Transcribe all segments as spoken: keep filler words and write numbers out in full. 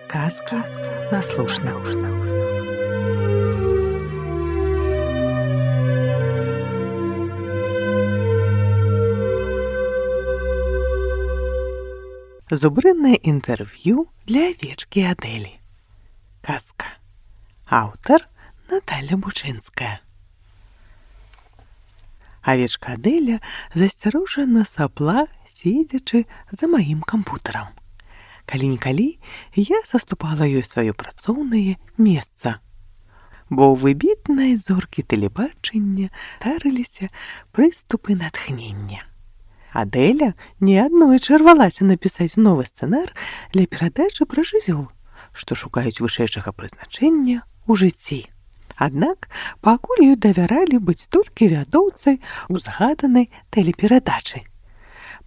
Казки на слушна. Зубрынное интервью для овечки Адели. Казка. Автор Наталья Бучинская. Овечка Аделя засцярожана сапла, сидячы за маім кампутарам. Калі-нікалі я саступала ёй сваё працоўнае месца, бо ў выбітнай зоркі тэлебачання тарыліся прыступы натхнення. Аделя неаднойчы рвалася напісаць новы сцэнар для перадачы пра жывёл, што шукаюць вышэйшага прызначэння ў жыцці. Аднак пакуль ёй давяралі быць толькі вядоўцай узгаданай тэлеперадачы.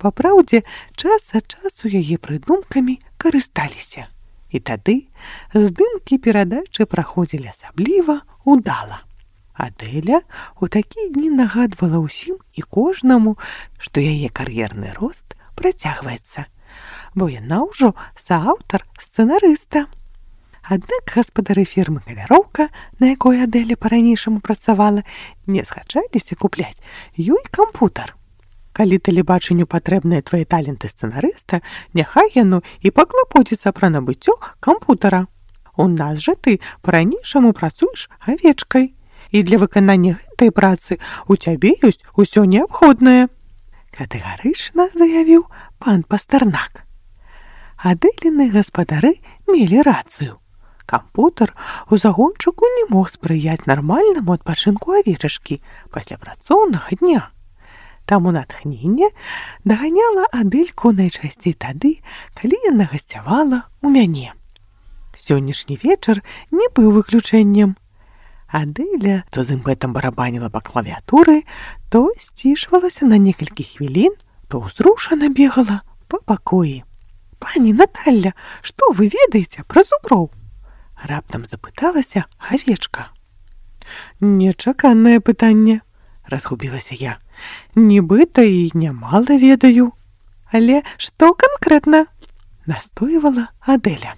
Папраўдзе, час ад часу яе прыдумкамі карысталіся. І тады здымкі перадачы праходзілі асабліва ўдала. Аделя у такія дні нагадвала ўсім і кожнаму, што яе кар'ерны рост працягваецца, бо яна ўжо сааўтар сцэнарыста. Аднак гаспадары фірмы «Каляроўка», на якой Аделя па-ранейшаму працавала, не згаджаліся купляць ёй кампутар. Калі тэлебачанню патрэбныя твае таленты сцэнарыста, няхай яно і паклапоціцца пра набыццё кампутара. У нас жа ты па-ранейшаму працуеш авечкай, і для выканання гэтай працы у цябе ёсць усё неабходнае, катэгарычна заявіў пан Пастарнак. Адэліны гаспадары мелі рацыю. Кампутар у загончыку не мог спрыяць нармальнаму адпачынку авечачкі пасля працоўнага дня. Таму натхненне даганяла Адэльку найчасцей тады, калі яна гасцявала ў мяне. Сённяшні вечар не быў выключэннем. Адэля то з імпэтам барабаніла па клавіатуры, то сцішвалася на некалькі хвілін, то ўзрушана бегала па пакоі. «Пані Наталля, што вы ведаеце пра зуброў?» Раптам запыталася авечка. «Нечаканае пытанне», разгубілася я. «Нібыта і нямала ведаю». «Але што канкрэтна?» настойвала Адэля.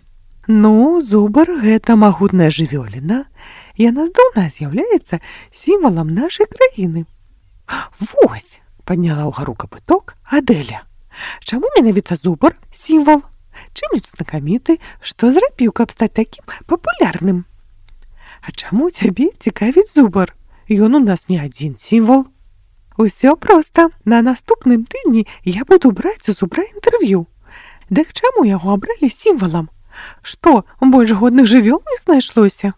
«Ну, зубар — гэта магутная жывёліна. Яна здаўна з'яўляецца сімвалам нашай краіны». «Вось!» — падняла ўгару капыток Адэля. «Чаму менавіта зубар сімвал? Чым ён знакаміты, што зрабіў, каб стаць такім папулярным?» «А чаму цябе цікавіць зубар? Ён у нас не адзін сімвал». «Усё проста. На наступным тыдні я буду браць у зубра інтэрв'ю. Дык чаму яго абралі сімвалам? Што, больш годных жывёл не знайшлося?»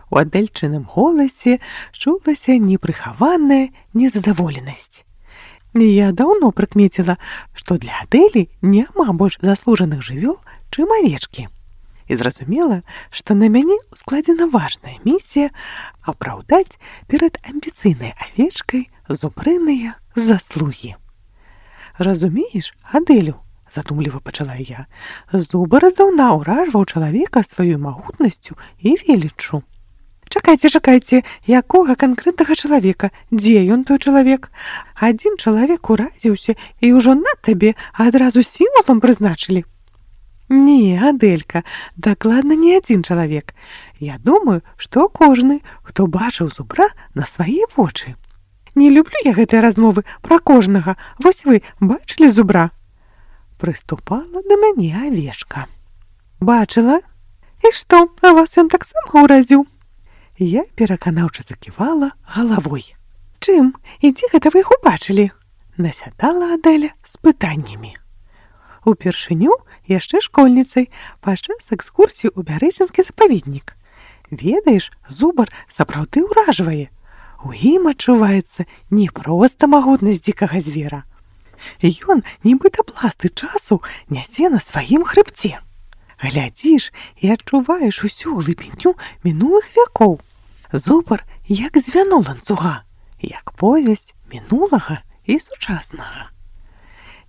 У Адэльчыным голасе чулася непрыхаваная незадаволенасць. Я даўно прыкмеціла, што для Адэлі няма больш заслужаных жывёл, чым авечкі. І зразумела, што на мяне складзена важная місія апраўдаць перад амбіцыйнай авечкай зубрыныя заслугі. «Разумееш, Адэлю, — задумліва пачала я, — зубар здаўна ўражваў чалавека сваёй магутнасцю і веліччу». «Чакайце, чакайце, якога канкрэтнага чалавека? Дзе ён, той чалавек? Адзін чалавек уразіўся і ўжо на табе адразу сімвалам прызначылі». «Не, Адэлька, дакладна не адзін чалавек. Я думаю, што кожны, хто бачыў зубра на свае вочы». «Не люблю я гэтыя размовы пра кожнага. Вось вы бачылі зубра?» Прыступала да мяне авечка. «Бачыла. І што, а вас ён таксама ўразіў?» Я пераканаўча заківала галавой. «Чым? І дзе гэта вы іх убачылі?» насядала Адэля з пытаннямі. Упершыню яшчэ школьніцай падчас экскурсіі ў бярэзінскі запаведнік. Ведаеш, зубар сапраўды ўражвае. У ім адчуваецца не проста магутнасць дзікага звера. Ён, нібыта пласты часу, нясе на сваім хрыбце. Глядзіш і адчуваеш усю глыбіню мінулых вякоў. Зубар як звяно ланцуга, як повязь мінулага і сучаснага».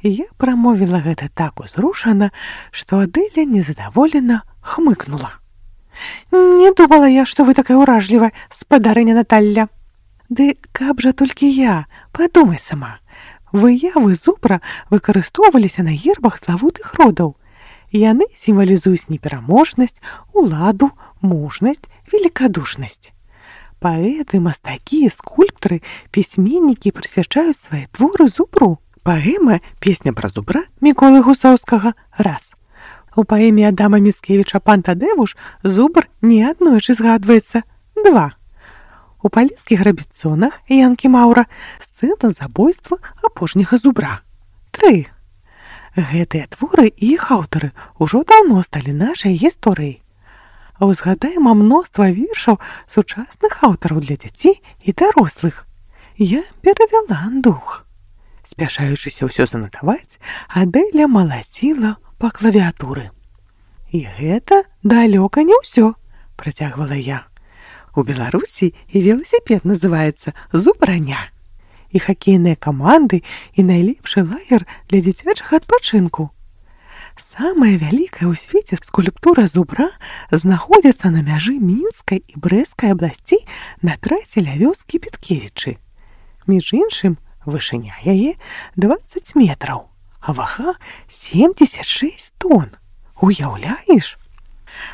Я прамовіла гэта так узрушана, што Адэля незадаволена хмыкнула. «Не думала я, што вы такая ўражлівая, спадарыня Наталля». «Ды каб жа толькі я, падумай сама. Выявы зубра выкарыстоўваліся на гербах славутых родаў. Яны сімвалізуюць непераможнасць, уладу, мужнасць, великодушнасць. Паэты, мастакі, скульптары, пісьменнікі прысвячаюць свае творы зубру. Паэма «Песня пра зубра» Міколы Гусоўскага раз. У паэме Адама Міцкевіча «Пан Тадэвуш» зубр неаднойчы згадваецца два. У палескіх рабіцонах Янкі Маўра сцэна забойства апошняга зубра тры. Гэтыя творы і іх аўтары ўжо даўно сталі нашай гісторыяй. Узгадаем мноства вершаў сучасных аўтараў для дзяцей і дарослых. Я перавяла дух. Спяшаючыся ўсё занатаваць, Адэля малаціла па клавіатуры. І гэта далёка не ўсё, працягвала я. У Беларусі і веласіпед называецца зубраня. І хакейныя каманды, і найлепшы лагер для дзіцячага адпачынку. Самая вялікая ў свеце скульптура зубра знаходзіцца на мяжы Мінскай і Брэсцкай абласцей на трасе ля вёскі Петкевічы. Між іншым, вышыня яе дваццаць метраў, а вага семьдесят шесть тонн. Уяўляеш?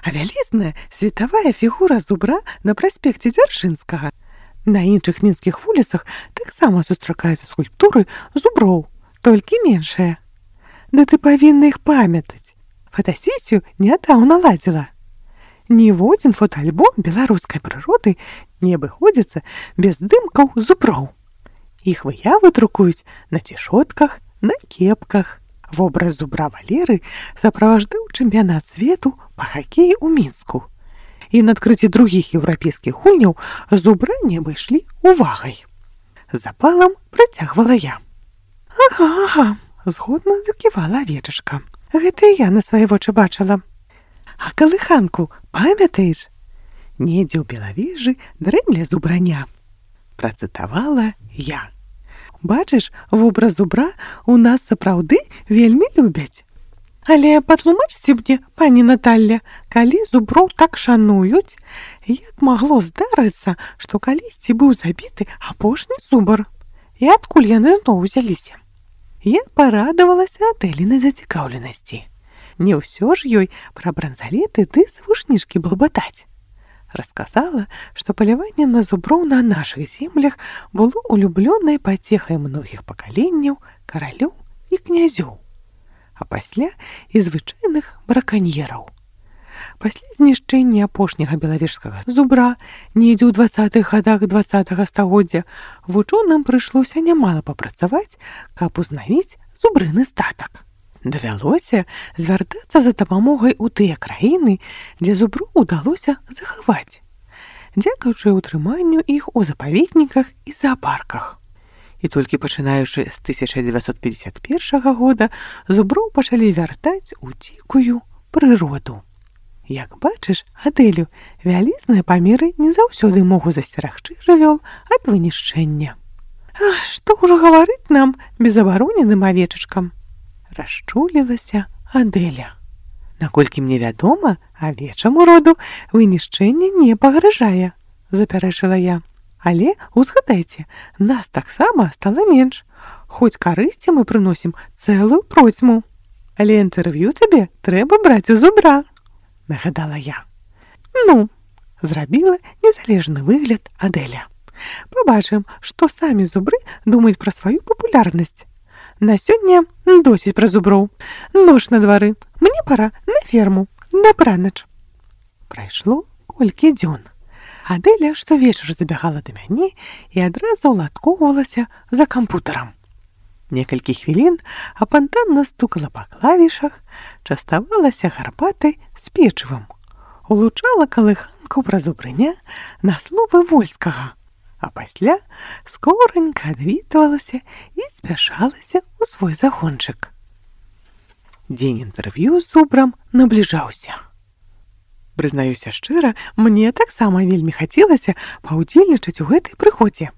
А вялізная светавая фігура зубра на праспекце Дзяржынскага. На іншых мінскіх вуліцах таксама сустракаюцца скульптуры зуброў, толькі меншыя. Да ты павінна іх памятаць. Фотасесію нядаўна ладзіла. Ніводзін фотоальбом беларускай прыроды не абыходзіцца без здымкаў зуброў. Іх выявы друкуюць на цішотках, на кепках. Вобраз зубра Валеры сапроваждаў чэмпіянат свету па хакеі ў Мінску. І на адкрыцці другіх еўрапейскіх гульняў зубра не абышлі увагай. Запалам працягвала я. Ага, ага, згодна заківала авечачка. Гэта я на свае вочы бачыла. А калыханку памятаеш? Недзе ў Белавежы дрэмле зубраня. Працытавала я. Бачыш, вобраз зубра у нас сапраўды вельмі любяць. Але патлумачце мне, пані Наталля, калі зуброў так шануюць, як магло здарыцца, што калісьці быў забіты апошні зубр? І адкуль яны зноў узяліся? Я парадавалася Адэлінай зацікаўленасці. Не ўсё ж ёй пра бранзалеты ды завушнішкі балбатаць. Расказала, што паляванне на зуброў на нашых землях было улюблёнай пацехай многіх пакаленняў, каралёў і князёў, а пасля і звычайных браканьераў. Пасля знішчэння апошняга белавежскага зубра недзе ў дваццатых гадах дваццатага стагоддзя вучоным прыйшлося нямала папрацаваць, каб узнавіць зубрыны статак. Давялося звяртацца за дапамогай у тыя краіны, дзе зубру ўдалося захаваць, дзякуючы ўтрыманню іх у запаведніках і зоапарках. І толькі пачынаючы з тысяча дзевяцьсот пятьдесят першага года зуброў пачалі вяртаць у дзікую прыроду. Як бачыш, Адэлю, вялізныя памеры не заўсёды могуць засцерагчы жывёл ад вынішчэння. А што ўжо гаварыць нам безабароненым авечачкам? Расчулілася Адэля. Наколькі мне вядома, авечаму роду вынішчэнне не пагражае, запярэчыла я. Але, узгадайце, нас таксама стала менш. Хоць карысці мы прыносім цэлую процьму. Але інтэрв'ю табе трэба браць у зубра, нагадала я. Ну, зрабіла незалежны выгляд Адэля. Пабачым, што самі зубры думаюць пра сваю папулярнасць. На сёння досыць пра зуброў. Ноч на двары. Мне пара на ферму. Дабранач. Прайшло колькі дзён. Адэля штовечар забягала да мяне і адразу ўладкоўвалася за кампутарам. Некалькі хвілін апантанна стукала па клавішах, частавалася гарбатай з печывам, улучала калыханку пра зубрыня на словы Вольскага, а пасля скоранька адвітвалася і спяшалася ў свой загончык. Дзень інтэрв'ю з зубрам набліжаўся. Прызнаюся шчыра, мне таксама вельмі хацелася паўдзельнічаць у гэтай прыгодзе.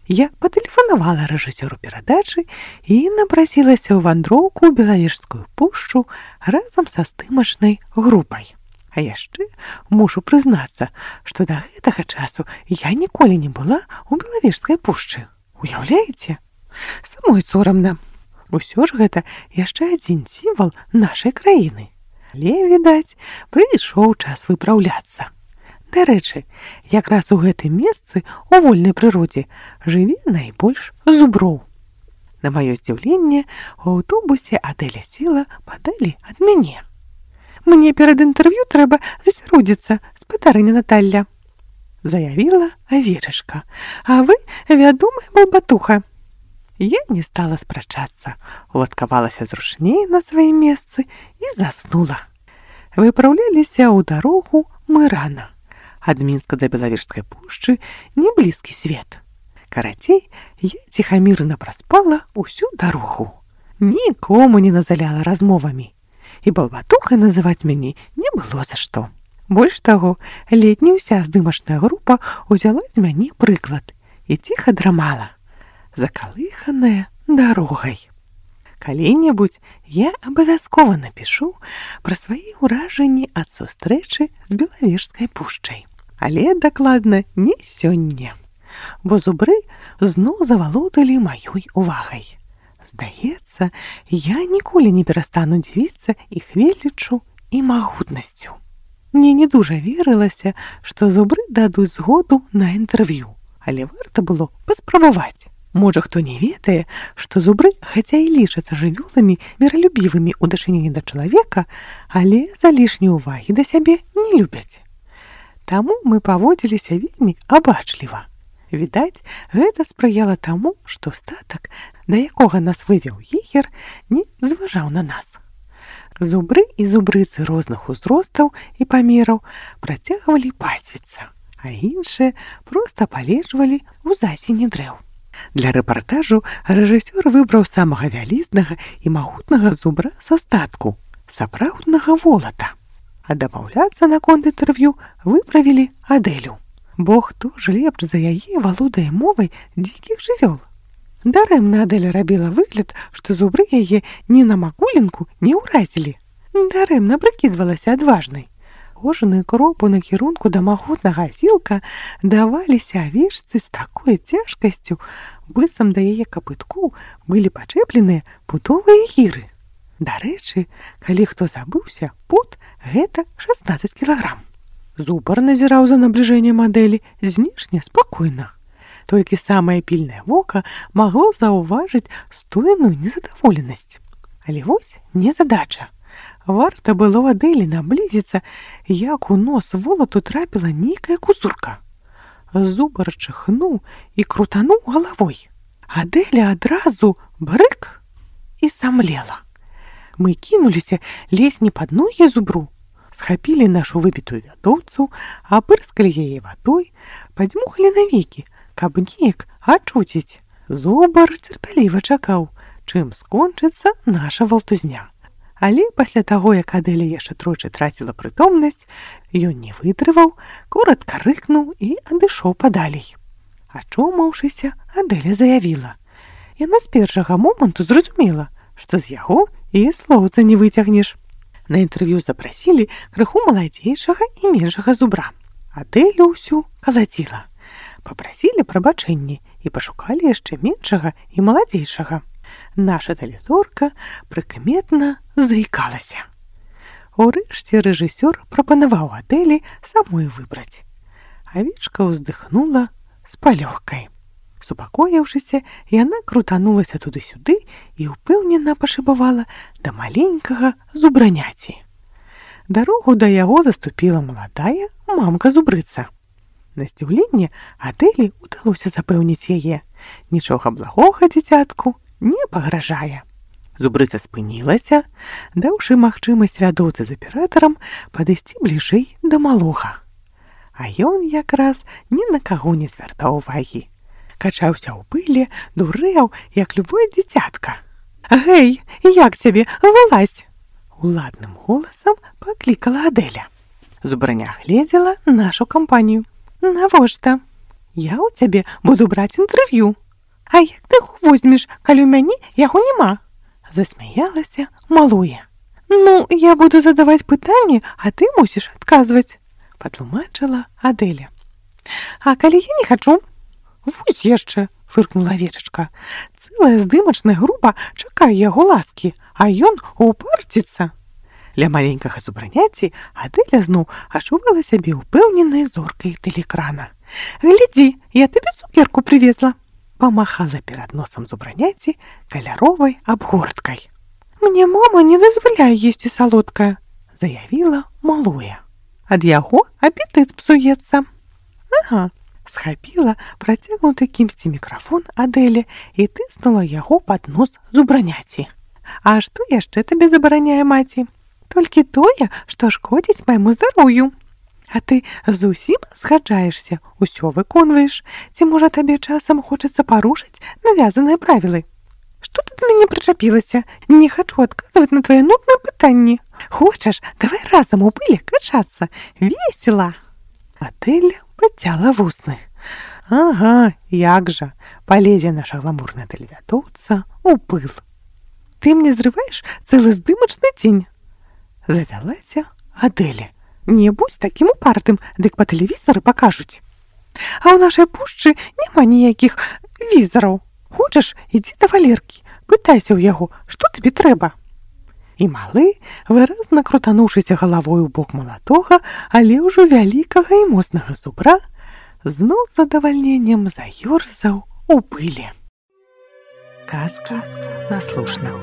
Я патэлефанавала рэжысёру перадачы і напрасілася ў вандроўку ў Белавежскую пушчу разам са здымачнай групай. А яшчэ мушу прызнацца, што да гэтага часу я ніколі не была ў Белавежскай пушчы. Уяўляеце? Самой сорамна. Усё ж гэта яшчэ адзін сімвал нашай краіны. Але, відаць, прыйшоў час выпраўляцца. Дарэчы, якраз у гэтым месцы у вольнай прыродзе жыве найбольш зуброў. На маё здзіўленне, у аўтобусе Адэля села падалі ад мяне. «Мне перад інтэрв'ю трэба засяродзіцца, спадарыня Наталля», заявіла авечачка, «а вы вядомая балбатуха». Я не стала спрачацца, уладкавалася зручней на сваім месцы і заснула. Выпраўляліся ў дарогу мы рана. Ад Мінска да Белавежскай пушчы не блізкі свет. Карацей, я ціхамірна праспала ўсю дарогу. Нікому не назаляла размовамі. І балбатухай называць мяне не было за што. Больш таго, ледня ўся здымачная група ўзяла з мяне прыклад і ціха драмала, закалыханая дарогай. Калі-небудзь я абавязкова напішу пра свае ўражанні ад сустрэчы з Белавежскай пушчай. Але дакладна не сёння, бо зубры зноў завалодалі маёй увагай. Здаецца, я ніколі не перастану дзівіцца іх веліччу і магутнасцю. Мне не дужа верылася, што зубры дадуць згоду на інтэрв'ю, але варта было паспрабаваць. Можа, хто не ведае, што зубры, хаця і лічацца жывёламі міралюбівымі ў дачыненні да чалавека, але за лішняй увагі да сябе не любяць. Таму мы паводзіліся вельмі абачліва. Відаць, гэта спрыяла таму, што статак, да якога нас вывеў егер, не зважаў на нас. Зубры і зубрыцы розных узростаў і памераў працягвалі пасвіцца, а іншыя проста палежвалі ў засені дрэў. Для рэпартажу рэжысёр выбраў самага вялізнага і магутнага зубра са статку, сапраўднага волата. А дамаўляцца наконт інтэрв'ю выправілі Адэлю. Бо хто ж лепш за яе валодае мовай дзікіх жывёл? Дарэмна Адэля рабіла выгляд, што зубры яе ні на макулінку не ўразілі. Дарэмна прыкідвалася адважнай. Кожны крок у накірунку да магутнага асілка даваліся авечцы з такой цяжкасцю, быццам да яе капыткоў былі пачэпленыя путовыя гіры. Дарэчы, калі хто забыўся, пут – гэта шаснаццаць кілаграм. Зубар назіраў за набліжэннем Адэлі знешне спакойна. Толькі самае пільнае вока магло заўважыць стойную незадаволенасць. Але вось незадача. Варта было Адэлі наблізіцца, як у нос волату трапіла нейкая кузурка. Зубар чыхнуў і крутануў галавой. Адэля адразу брык і самлела. Мы кінуліся лезь не пад ногі зубру, схапілі нашу выбітую вядоўцу, апырскалі яе вадой, падзьмухалі навекі, каб неяк ачуціць. Зубар цярпяліва чакаў, чым скончыцца наша валтузня. Але пасля таго, як Адэля яшчэ тройчы траціла прытомнасць, ён не вытрываў, коратка рыкнуў і адышоў падалей. Ачомаўшыся, Адэля заявіла. Яна з першага моманту зразумела, што з яго і слоўца не выцягнеш. На інтэрв'ю запрасілі крыху маладзейшага і меншага зубра. Адэлю ўсю калаціла. Папрасілі прабачэнні і пашукалі яшчэ меншага і маладзейшага. Наша талізорка прыкметна заікалася. Урэшце рэжысёр прапанаваў Адэлі самой выбраць. Авечка ўздыхнула з палёгкай. Супакоіўшыся, яна крутанулася туды-сюды і ўпэўнена пашыбавала да маленькага зубраняці. Дарогу да яго заступіла маладая мамка-зубрыца. На здзіўленне Адэлі ўдалося запэўніць яе. Нічога благога дзіцятку не пагражае. Зубрыца спынілася, даўшы магчымасць вядоўцы з аператарам падысці бліжэй да малога. А ён якраз ні на каго не звяртаў увагі. Качаўся ў пыле, дурэў, як любое дзіцятка. «Гэй, як цябе, вылазь!» Уладным голасам паклікала Адэля. Зубраня гледзела нашу кампанію. «Навошта? Я ў цябе буду браць інтэрв'ю. А як ты яго возьмеш, калі ў мяне яго няма?» Засмяялася малое. «Ну, я буду задаваць пытанні, а ты мусіш адказваць», патлумачыла Адэля. «А калі я не хачу?» «Вось яшчэ», фыркнула авечачка. «Цэлая здымачная група чакае яго ласкі, а ён упарціцца». Ля маленькага зубраняці Адэля зноў адчувала сябе ўпэўненай зоркай тэлеэкрана. «Глядзі, я табе цукерку привезла!» Памахала перад носам зубраняці каляровай абгорткай. «Мне мама не дазваляе есці салодкае», — заявіла малое. «Ад яго апетыт псуецца». «Ага», — схапіла працягнуты кімсьці мікрафон Адэля і тыснула яго пад нос зубраняці. «А што яшчэ табе забараняе маці?» «Толькі тое, што шкодзіць майму здароўю». «А ты зусім згаджаешся, усё выконваеш? Ці, можа, табе часам хочацца парушыць навязаныя правілы?» «Што ты да мяне прычапілася? Не хачу адказваць на твае нудныя пытанні. Хочаш, давай разам у пылі качацца. Весела!» Адэля пацяла вусны. «Ага, як жа, палезе наша гламурная тэлевядоўца у пыл. Ты мне зрываеш цэлы здымачны дзень?» Завялася Адэля. «Не будзь такім упартым, дык па тэлевізары пакажуць. А ў нашай пушчы няма ніякіх візараў. Хочаш, ідзі да Валеркі, пытайся ў яго, што табе трэба». І малы, выразна крутануўшыся галавой у бок маладога, але ўжо вялікага і моцнага зубра, зноў з задавальненнем заёрзаў у пылі. Казка наслушна.